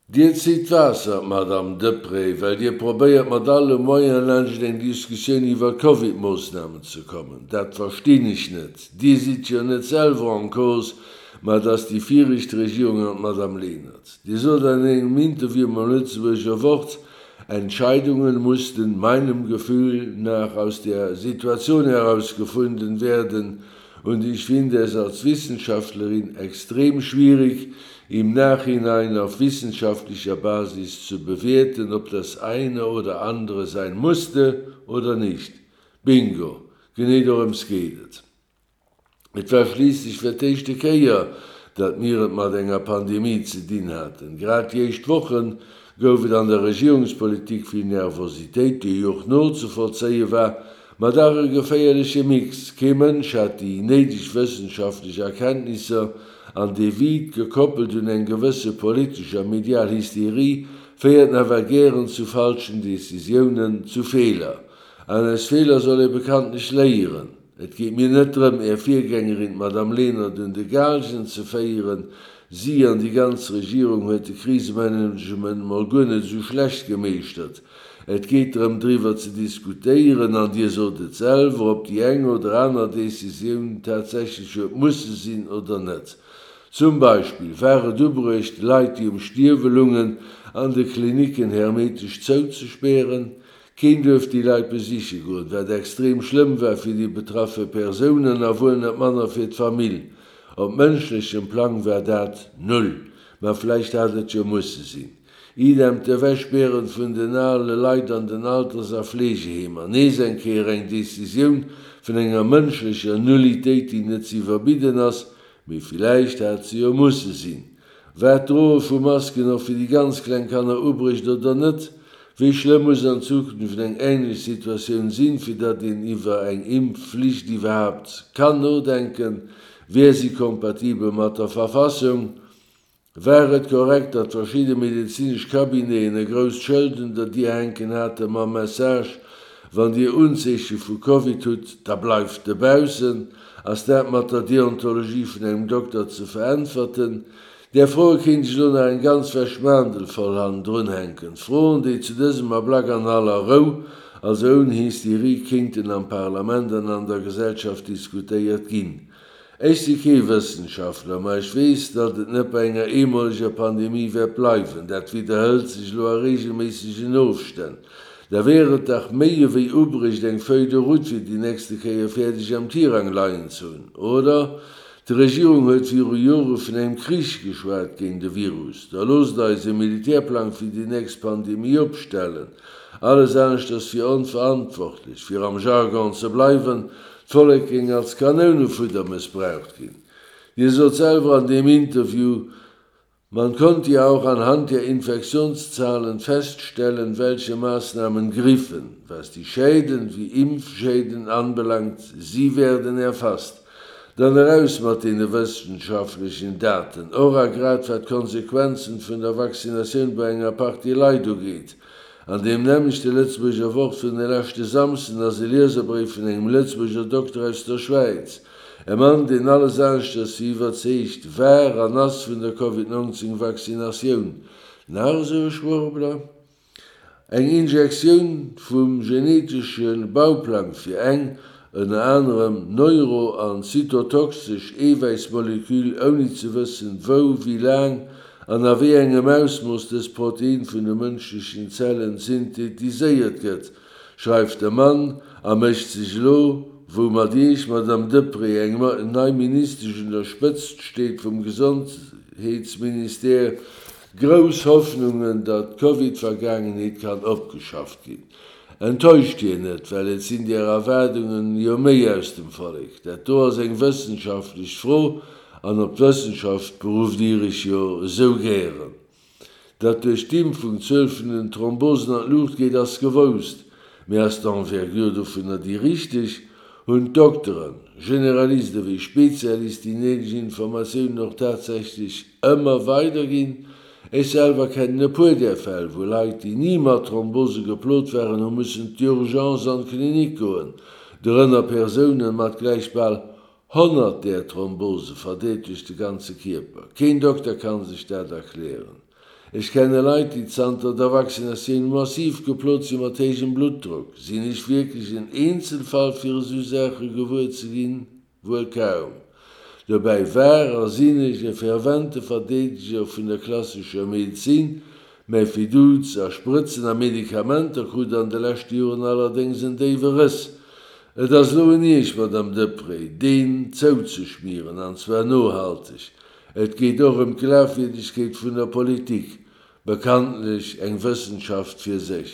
Dir zitt Waasser, Madamm Deprez, well Dir probéiert mat alle Moyene laanscht eng Diskussioun iwwer Covid-Moossnamen ze kommen. Dat verstinn ech net. Dir sidd jo net selwer en cause, ma et ass déi viregt Regierung an d'Madamm Lenert. Dir sot an engem Interview mam Lëtzebuerger Wort, Entscheidungen mussten meinem Gefühl nach aus der Situation heraus gefunden werden und ich finde es als Wissenschaftlerin extrem schwierig, im Nachhinein auf wissenschaftlicher Basis zu bewerten, ob das eine oder andere sein musste oder nicht. Bingo! Genee dorëms geet et. Et war schliisslech fir d'éischte Kéier, datt mir et mat enger Pandemie ze dinn haten. Grad déi éischt Woche gouf et an der Regierungspolitik vill Nervositéit, déi jo och nozevollzéie war, ma dach e geféierleche Mix. Kee Mënsch hat déi néideg wëssenschaftlech Erkenntnisser, an dee Vide, gekoppelt un eng gewësse politesch a medial Hysterie, féiert nawell gären zu falschen Decisiounen, zu Feeler. An aus Feeler soll ee bekanntlech léieren. Et geet mir net drëm, Är Virgängerin, d'Madame Lenert, un de Gaalgen ze féieren. Si an déi ganz Regierung huet de Krisemanagement mol guer net esou schlecht gemeeschtert. Et geet drëm, driwwer ze diskutéieren, an Dir sot et selwer, ob déi eng oder aner Décisioun tatsächlech huet musse sinn oder net. Zum Beispill, War et ubruecht, Leit, déi um Stierwe lungen, an de Klinicken hermetesch zouzespären? Keen duerft déi Leit besiche goen, wat extrem schlëmm war fir déi betraffe Persounen a wuel net manner fir d'Famill. Op mënschlechem Plang war dat null, ma vläicht hat et jo musse sinn. Idem d'Ewechspären vun den ale Leit an den Alters a Fleegeheemer. Nees eng Kéier eng Decisioun vun enger mënschlecher Nullitéit, déi net z'iwwerbidden ass, Mee villäicht hat se jo musse sinn. War d'Droe vu Masken och fir déi ganz kleng Kanner ubruecht oder net? Wéi schlëmm muss an Zukunft eng änlech Situatioun sinn, fir datt een iwwer eng Impfflicht iwwerhaapt kann nodenken? Wär si kompatibel mat der Verfassung? War et korrekt, datt verschidde medezinesch Cabineten e grousst Schëld un der Dier hänken hate mam Message, Wann Dir Unzeeche vu Covid hutt, da bleift dobaussen? Ass dat mat der Deontologie vun engem Dokter ze veräntwerten? Där Froe kéint ech elo nach eng ganz Wäschmaandel voll hannendrun hänken. Froen, déi zu dësem Ablack an aller Rou, also ouni Hysterie, kéinten am Parlament an an der Gesellschaft diskutéiert ginn. Ech si kee Wëssenschaftler, ma ech weess, datt et net bei enger eemoleger Pandemie wäert bleiwen. Dat widderhëlt sech elo a reegelméissegen Ofstänn. Da wär et dach méi ewéi ubrecht, eng Feuille de route fir déi nächste Kéier fäerdeg am Tirang leien ze hunn, oder? D'Regierung huet viru Jore vun engem Krich geschwat géint e Virus. Da loosst eis e Militärplang fir déi nächst Pandemie opstellen. Alles aneschters wier onverantwortlech. Fir am Jargon ze bleiwen, D'Vollek géing als Kanounefudder mëssbraucht ginn. Dir sot selwer an deem Interview, Man konnte ja auch anhand der Infektionszahlen feststellen, welche Maßnahmen griffen, was die Schäden wie Impfschäden anbelangt, sie werden erfasst. Dann eraus mat deene wëssenschaftlechen Daten, och a grad wat d'Konsequenzen vun der Vaccinatioun bei enger Partie Leit ugeet. An deem nämmlechte Lëtzebuerger Wort vun de leschte Samsden ass e Lieserbréif vun engem Lëtzebuerger Dokter aus der Schwäiz. E Mann, deen alles aneschters wéi iwwerzeegt war an ass vun der Covid 19 Vaccinatioun. Nach esou e Schwurbler? Eng Injektioun vum genetesche Bauplang fir eng, ënner anerem, neuro an zytotoxesch Eewäissmolekül, ouni ze wëssen, wou, wéi laang an a wéi engem Ausmooss dës Protein vun de mënschlechen Zellen synthetiséiert gëtt, schreift de Mann a mécht sech elo, wou mat Iech, Madamm Deprez, eng nei Ministesch un der Spëtzt steet vum Gesondheetsministère, grouss Hoffnungen, datt d'Covid-Vergaangenheet kann opgeschafft ginn. Enttäuscht hien net, well et sinn där Erwaardungen jo méi aus dem Vollek. Dat do ass eng wëssenschaftlech Fro, an op d'Wëssenschaft berufft Dir Iech jo esou gären. Datt duerch d'Impfung d'Zuel vun den Thrombosen an d'Luucht geet, ass gewousst. Mee ass d'Envergure dovunner déi richteg? Hunn d'Dokteren, Generalist ewéi Spezialist, déi néideg Informatiounen och tatsächlech ëmmer weiderginn? Ech selwer kennen e puer där Fäll, wou Leit, déi ni mat Thrombose geplot waren, hu mussen d'Urgence an d'Klinik goen, dorënner Persounen mat gläich bal 100 där Thrombose, verdeelt duerch de ganze Kierper. Keen Dokter kann sech dat erklären. Ech kenne Leit, déi zanter der Vaccinatioun massiv geplot si mat héijem Bluttdrock. Sinn ech wierklech en Eenzelfall fir esou Saache gewuer ze ginn? Wuel kaum. Dobäi war a sinn ech e fervente Verdeedeger vun der klassescher Medezin. Mäi Fiduz a Sprëtzen a Medikamenter krut an de leschte Joren allerdéngs en déiwe Rëss. Et ass elo un Iech, Madame Deprez, deen zouzeschmieren, an zwar nohalteg. Et geet och ëm d'Glafwierdegkeet vun der Politik, bekanntlech eng Wëssenschaft fir sech.